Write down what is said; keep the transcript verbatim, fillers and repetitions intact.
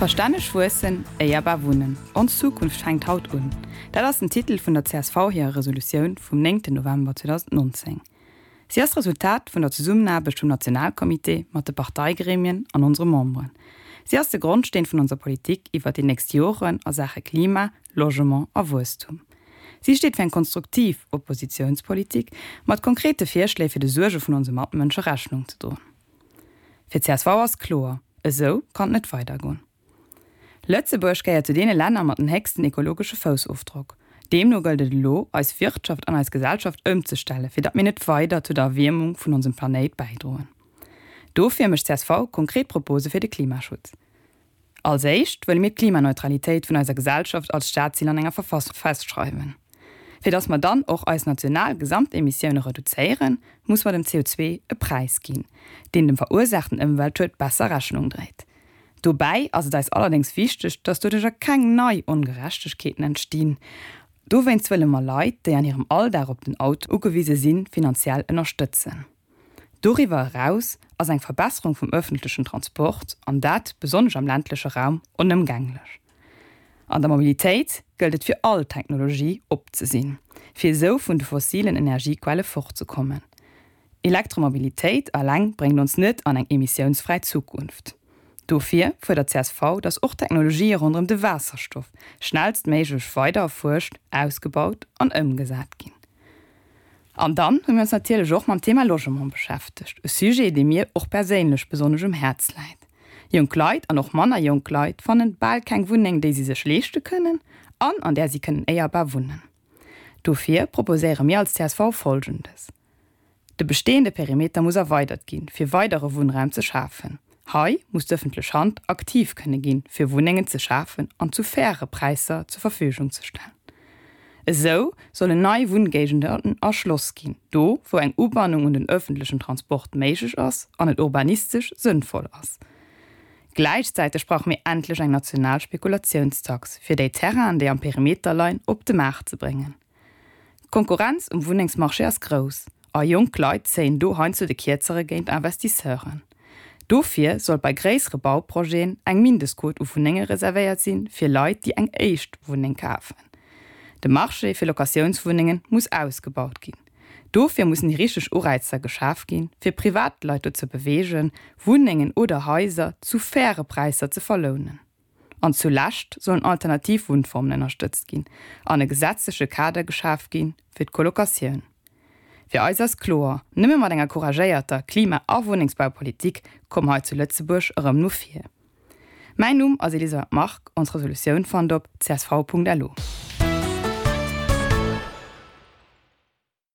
Verstänneg wuessen, éierbar wunnen. Ons Zukunft fänkt haut un. Dat ass den Titel vun der C S V hirer Resolutioun vum néngten November zweedausendnonzéng. Si ass d'Resultat vun der Zesummenaarbecht vum Nationalcomité mat de Parteigremien an onsere Memberen. Si ass de Grondsteen vun onser Politik iwwer déi nächst Joren a Saache Klima, Logement a Wuesstum. Si steet fir eng konstruktiv Oppositiounspolitik mat konkrete Virschléi fir de Suerge vun onse Matmënsche Rechnung ze droen. Fir C S V ass kloer, esou kann et net weidergoen. Lëtzebuerg gehéiert zu deene Länner mat den héchsten ekologesche Foussofdrock. Deemno gëllt et elo, eis Wirtschaft an eis Gesellschaft ëmzestellen, fir datt mir net weider zu der Erwiermung vun onsem Planéit bäidroen. Dofir mécht C S V konkret Propose fir de Klimaschutz. Als éischt wëlle mir d'Klimaneutralitéit vun eiser Gesellschaft als Staatszil an enger Verfassung festschreiwen. Fir datt mer dann och eis national Gesamtemissioune reduzéieren, muss mer dem C O zwee e Präis ginn, deen dem verursaachten Ëmweltschued besser Rechnung dréit. Dobäi ass et eis allerdéngs wichteg, datt doduercher keng nei Ongerechtegkeeten entstinn. Dowéinst wëlle mer Leit, déi an hirem Alldag op den Auto ugewise sinn, finanziell ënnerstëtzen. Doriwwer eraus ass eng Verbesserung vum ëffentlechen Transport, an dat besonnesch am ländleche Raum, onëmgänglech. An der Mobilitéit gëllt et fir all Technologie op ze sinn, fir esou vun de fossilen Energiequelle fortzekommen. Elektromobilitéit eleng bréngt ons net an eng emissiounsfräi Zukunft. Dofir fuerdert C S V, datt och Technologië ronderëm de Waasserstoff schnellstméiglech weider erfuerscht, ausgebaut an ëmgesat ginn. An dann hu mir ons natierlech och mam Thema Logement beschäftegt, e Sujet, dee mir och perséinlech besonnesch um Häerz läit. Jonk Leit an och manner jonk Leit fannen bal keng Wunneng, déi si sech leeschte kënnen an an där si kënnen éierbar wunnen. Dofir proposéiere mir als C S V Folgendes. De bestehende Perimeter muss erweidert ginn, fir weidere Wunnraum ze schafen. Hei muss d'ëffentlech Hand aktiv kënne ginn, fir Wunnengen ze schafen an zu faire Präisser zur Verfügung ze stellen. Esou sollen nei Wunngéigenden erschloss ginn, do wou eng Ubannung un den ëffentlechen Transport méiglech ass an et urbanistesch sënnvoll ass. Gläichzäiteg brauche mir endlech eng national Spekulationstax, fir déi Terrainen, déi am Perimeter leien, op de Maart ze bréngen. D'Konkurrenz um Wunnengsmarché ass grouss a jonk Leit zéien do heiansdo de Kierzere géint Investisseuren. Dofir soll bei gréissere Bauprojeten eng Mindestquot u Wunnenge reservéiert sinn, fir Leit, déi eng éischt Wunneng kafen. De Marché fir Locatiounswunnenge muss ausgebaut ginn. Dofir mussen déi richteg Ureizer geschaf ginn, fir Privatleit dozou ze beweegen, Wunnengen oder Haiser zu faire Präisser ze verlounen. An zulescht sollen alternativ Wunnformen ënnerstëtzt ginn an e gesetzleche Kader geschaf ginn fir d'Colocatioun. Fir eis ass kloer, nëmme mat enger couragéierter Klima a Wunnengsbaupolitik komme mer hei zu Lëtzebuerg erëm no vir. Mäin Numm ass Elisabeth Margue, ons Resolutioun fannt der op C S V Punkt L U.